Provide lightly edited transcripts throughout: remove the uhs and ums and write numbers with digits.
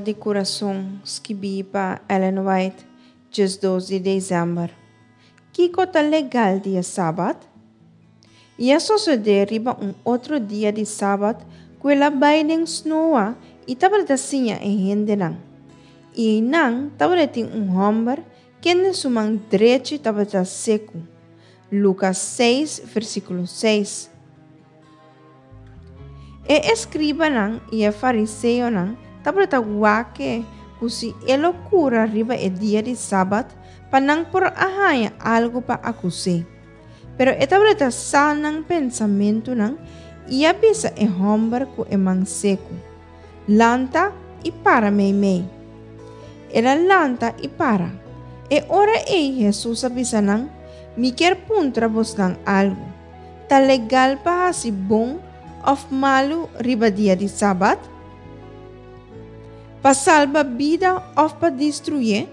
di Kurason, skibí pa Ellen White, 12 di desèmber. Kiko ta legal dia sabat? I a sosodé riba un otro dia di sabat ku el a bai den snoa i tabata siña e hendenan. I einan tabatin un hòmber kende su man drechi tabata seku. Lukas 6, versíkulo 6. E eskribanan i e fariseonan tabata wak ku si e lo kura riba e dia di sabat pa nan por a haña algu pa akus'é. Pero e tabata sa nan pensamentunan i a bisa e hòmber ku e man seku, Lanta i para meimei. El a lanta i para. E ora ei Hesus a bisa nan, Mi kier puntra bosnan algu. Ta legal pa hasi bon òf malu riba dia di sabat? Pa salba bida òf pa destruyé?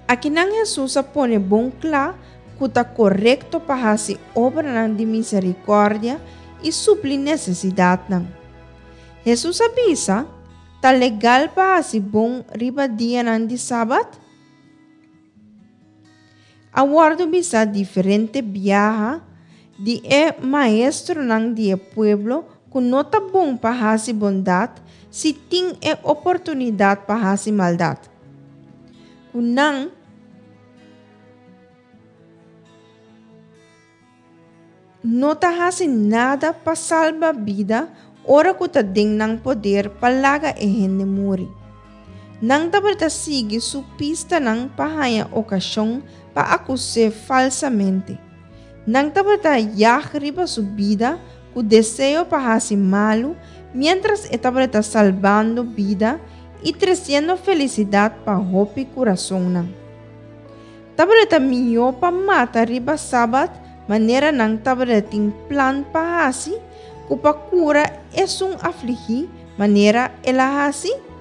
Akinan Hesus a pone bon kla ku ta korekto pa hasi obranan di miserikòrdia i supli nesesidatnan. Hesus a bisa, Ta legal pa hasi bon riba dianan di sabat? A wòrdu bisá diferente biaha di e maestronan di e pueblo ku no ta bon pa hasi bondat si tin e oportunidat pa hasi maldat. Ku nan no ta hasi nada pa salba bida ora ku ta den nan poder pa laga e hende muri. Nan tabata sigui su pistanan pa haña okashon pa akus'é falsamente. Nan tabata yag riba su bida ku deseo pa hasi malu miéntras e tabata salbando bida i tresiendo felisidat pa hopi kurasonnan. Tabata mihó pa mata riba sabat manera nan tabata tin plan pa hasi ku pa kura esun afligí manera el a hasi?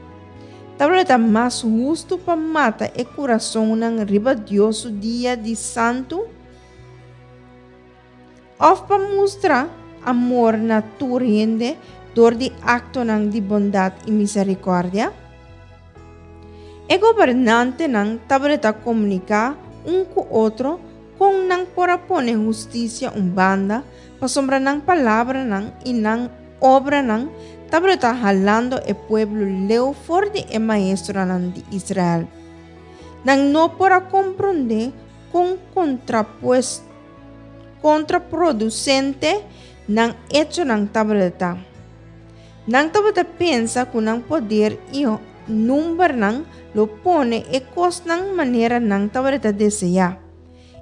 Tabata mas hustu pa mata e kurasonnan riba Dios su dia di santu òf pa mustra amor na tur hende dor di aktonan di bondat i miserikòrdia? E gobernantenan tabata komuniká un ku otro kon nan por a pone hustisia un banda pasobra nan palabranan i nan obranan tabata halando e pueblo leu for di e maestronan di Israel. Nan no por a komprondé kon kontraprodusente nan echonan tabata. Nan tabata pensa ku nan poder i numbernan lo pone e kosnan manera nan tabata deseá.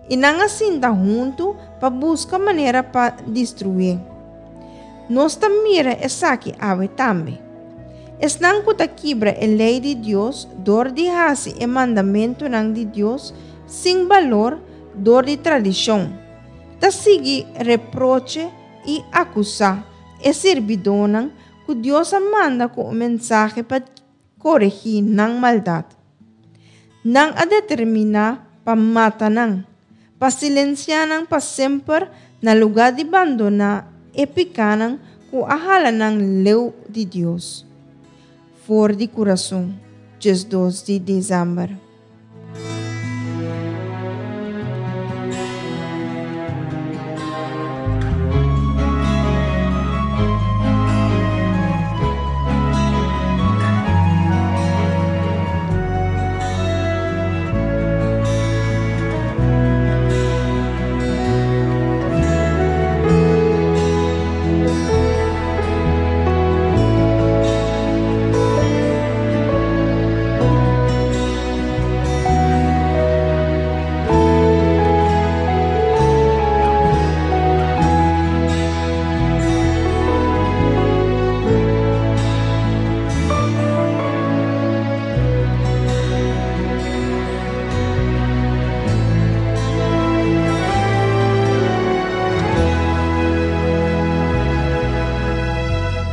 I nan a sinta huntu pa buska manera pa destruié. Nos ta mira esaki awe tambe. Esnan ku ta kibra e lei di Dios dor di hasi e mandamentunan di Dios sin balor dor di tradishon, ta sigui reproche i akusá e sirbidónan ku Dios a manda ku un mensahe pa koregí nan maldat. Nan a determiná pa mata nan, pa silensiá nan pa semper na lugá di bandoná e pikánan ku a hala nan leu di Dios. For di kurason, 12 di desèmber.